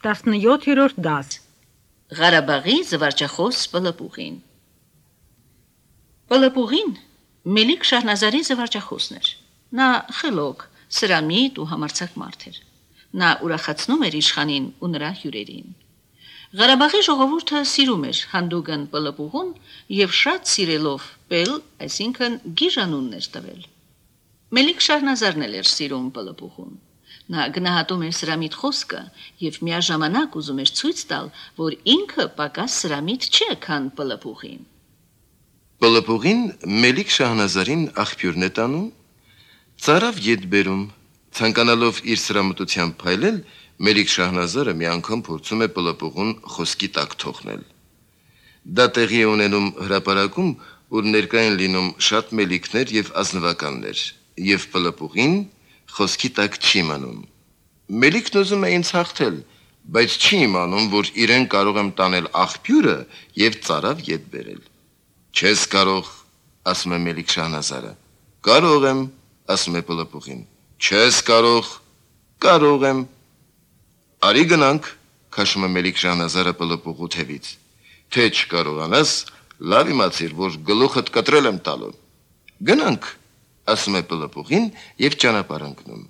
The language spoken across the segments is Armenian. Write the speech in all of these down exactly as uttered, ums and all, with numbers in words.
տասնյոթերորդ դաս Ղարաբաղի զվարճախոս Պլպուղին Պլպուղին Մելիք Շահնազարի զվարճախոսն էր։ Նա խելոք, սրամիտ ու համարձակ մարդ էր։ Նա ուրախացնում էր իշխանին ու նրա հյուրերին։ Ղարաբաղի ժողովուրդը սիրում էր հանդուգն Պլպուղուն եւ շատ սիրելով Պել, այսինքն գիժանունն էր տվել։ Մելիք Շահնազարն էր սիրում Պլպուղուն։ Նա գնահատում էր սրամիտ խոսքը եւ միաժամանակ ուզում էր ցույց տալ, որ ինքը պակաս սրամիտ չէ, քան Պլպուղին։ Պլպուղին Մելիք Շահնազարին աղբյուրն է տանում, ծարավ ետ բերում, ցանկանալով իր սրամտությամբ փայլել, Մելիք Շահնազարը մի անգամ փորձում է Պլպուղուն խոսքի տակ թողնել։ Դա տեղի է ունենում հրապարակում, ուր ներկա են լինում շատ մելիքներ եւ ազնվականներ, եւ Պլպուղին խոսքի տակ չի մնում։ Մելիքն ուզում է ինձ հաղթել, բայց չի իմանում, որ իրեն կարող եմ տանել աղբյուրը եւ ծարավ ետ բերել։ Չես կարող, ասում է Մելիք Շահնազարը։ Կարող եմ, ասում է Պլպուղին։ Չես կարող, կարող եմ։ Արի գնանք, քաշում է Մելիք Շահնազարը Պլպուղու թևից։ Թե չկարողանաս, լավ իմացիր, որ գլուխդ կտրել եմ տալու։ Գնանք, ասում է Պլպուղին եւ ճանապարհ ընկնում։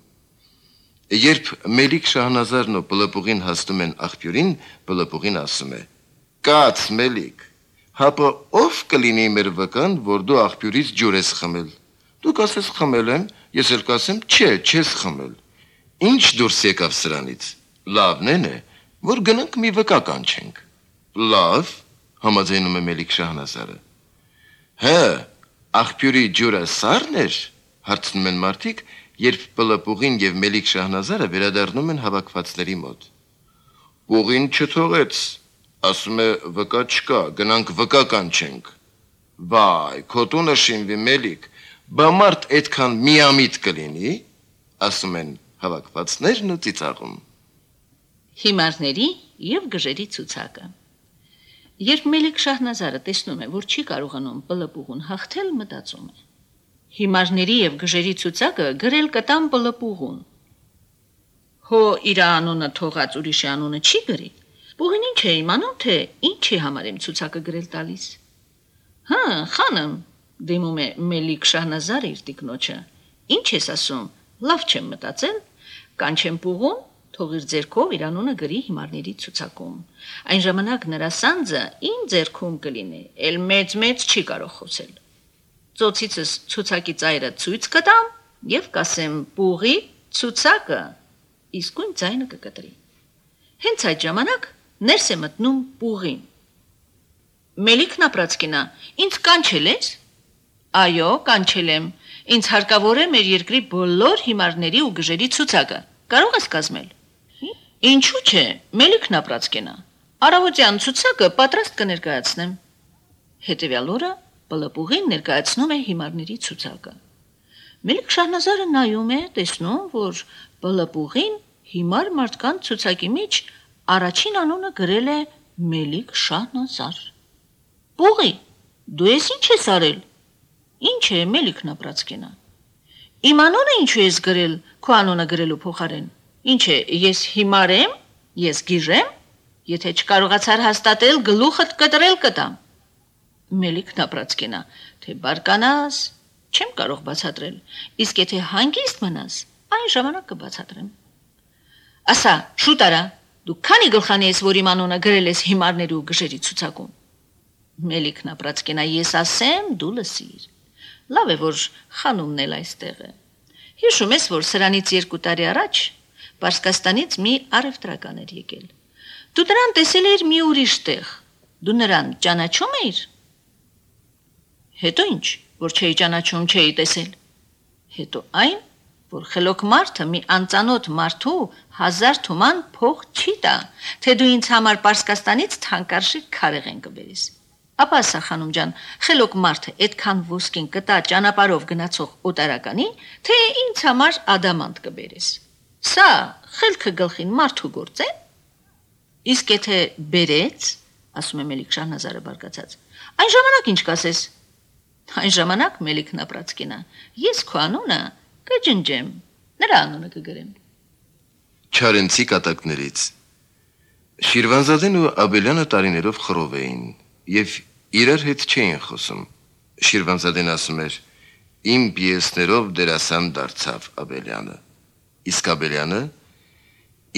Երբ Մելիք Շահնազարն ու Պլպուղին հասնում են աղբյուրին, Պլպուղին ասում է. «Կաց, Մելիք, հապա ով կլինի մեր վկան, որ դու աղբյուրից ջուր ես խմել։ Դու կասես խմել եմ, ես էլ կասեմ չէ, չես խմել։ Ինչ դուրս եկավ սրանից։ Լավն է, որ գնանք մի վկա կանչենք»։ Լավ, համաձայնում է Մելիք Շահնազարը։ Հա, աղբյուրի ջուրը սառն էր, հարցնում են մարդիկ, երբ Պլպուղին եւ Մելիք Շահնազարը վերադառնում են հավաքվածների մոտ։ Պուղին չթողեց, ասում է վկա չկա, գնանք վկա կանչենք։ Վայ, քո տունը շինվի, Մելիք, բա մարդ այդքան միամիտ կլինի, ասում են հավաքվածներն ու ծիծաղում։ Հիմարների եւ գժերի ցուցակը։ Երբ Մելիք Շահնազարը տեսնում է, որ չի կարողանում Պլպուղուն հաղթել, մտածում է. Հիմարների եւ գժերի ցուցակը գրել կտամ Պլպուղուն։ Հո իր անունը թողած ուրիշի անունը չի գրի։ Պուղին ինչ է իմանում, թե ինչի համար եմ ցուցակը գրել տալիս։ Հա, խանեմ, դիմում է Մելիք Շահնազարը իր տիկնոջը։ Ինչ ես ասում, լավ չեմ մտածել, կանչեմ Պուղուն, թող իր ձեռքով իր անունը գրի հիմարների ցուցակում։ Այն ժամանակ նրա սանձը իմ ձեռքում կլինի, ել մեծ-մեծ չի կարող խոսել։ Ծոցիցս ցուցակի ծայրը ցույց կտամ եւ կասեմ Պուղի ցուցակը, իսկույն ձայնը կկտրի։ Հենց այդ ժամանակ ներս է մտնում Պուղին։ Մելիքն ապրածկինա, ինձ կանչել ես։ Այո, կանչել եմ։ Ինձ հարկավոր է մեր երկրի բոլոր հիմարների ու գժերի ցուցակը։ Կարող ես կազմել։ Ինչու՞ չէ, Մելիքն ապրածկինա։ Արավոտյան ցուցակը պատրաստ կներկայացնեմ։ Հետևյալ օրը Պլպուղին ներկայացնում է հիմարների ցուցակը։ Մելիք Շահնազարը նայում է, տեսնում, որ Պլպուղին հիմար մարդկանց ցուցակի մեջ առաջին անունը գրել է Մելիք Շահնազար։ Պուղի, դու ես ինչ ես արել։ Ինչ է Մելիքն ապրածկինա։ Իմ անունը ինչու ես գրել, քո անունը գրելու փոխարեն։ Ինչ է, ես հիմար եմ, ես գիժ եմ, եթե չկարողացար հաստատել, գլուխդ կտրել կտամ։ Մելիքն ապրածկինա, թե բարկանաս, չեմ կարող բացատրել, իսկ եթե հանգիստ մնաս, այն ժամանակ կբացատրեմ։ Ասա, շուտ արա, դու քանի գլխանի ես, որ իմ անունը գրել ես հիմարների ու գժերի ցուցակում։ Մելիքն ապրածկինա, ես ասեմ, դու լսիր։ Լավ է, որ խանումն էլ այստեղ է։ Հիշում ես, որ սրանից երկու տարի առաջ Պարսկաստանից մի առևտրական էր եկել։ Դու նրան տեսել էիր մի ուրիշ տեղ։ Դու նրան ճանաչում էիր։ Հետո ինչ, որ չէի ճանաչում, չէի տեսել։ Հետո այն, որ խելոք մարդը մի անծանոթ մարդու հազար թուման փող չի տա, թե դու ինձ համար Պարսկաստանից թանկարժեք քարեղեն կբերես։ Ապա ասա խանում ջան, խելոք մարդը այդքան ոսկին կտա ճանապարհով գնացող օտարականի, թե ինձ համար ադամանտ կբերես։ Սա խելքը գլխին մարդու գործ է։ Իսկ եթե բերեց, ասում է Մելիք Շահնազարը բարկացած, այն ժամանակ ինչ կասես։ Այն ժամանակ Մելիքն ապրածկինա, ես քո անունը կջնջեմ, նրա անունը կգրեմ։ Չարենցի կատակներից։ Շիրվանզադեն ու Աբելյանը տարիներով խռով էին եւ իրար հետ չէին խոսում։ Շիրվանզադեն ասում էր. «Իմ պիեսներով դերասան դարձավ Աբելյանը»։ Իսկ Աբելյանը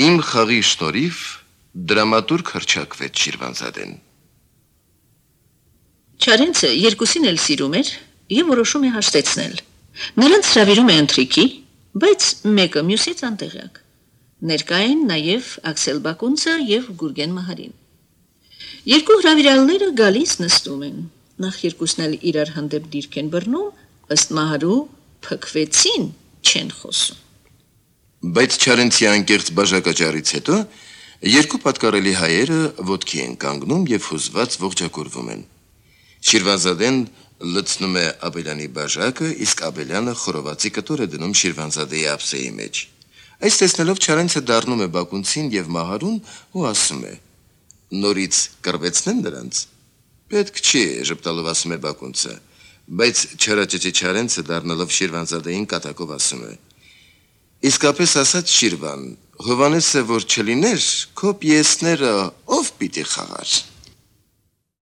«Իմ խաղի շնորհիվ դրամատուրգ հռչակվեց Շիրվանզադեն»։ Չարենցը երկուսին էլ սիրում էր եւ որոշում է հաշտեցնել։ Նրանց հravirում է ընթրիքի, բայց մեկը մյուսից անտեղյակ։ Ներկա են նաեւ Աքսել Բակունցը եւ Գուրգեն Մահարին։ Երկու հravirալները գալիս նստում են։ Նախ երկուսն էլ իրար հանդեպ դիրք են բռնում, ըստ Մահարու փքվեցին, չեն խոսում։ Բայց Չարենցի անկեղծ բաժակաճառից հետո երկու պատկառելի հայերը ոտքի են կանգնում եւ հուզված ողջակուրվում են։ Շիրվանզադեն լցնում է Աբելյանի բաժակը, իսկ Աբելյանը խորովածի կտոր է դնում Շիրվանզադեի ափսեի մեջ։ Այս տեսնելով Չարենցը դառնում է Բակունցին եւ Մահարուն ու ասում է. «Նորից կռվեցնեն դրանց»։ «Պետք չի», ժպտալով ասում է Բակունցը, բայց Չարաճճի Չարենցը դառնալով Շիրվանզադեին կատակով ասում է. «Իսկապես ասած Շիրվան, Հովանեսը որ չլիներ, քո պիեսները ով պիտի խաղար»։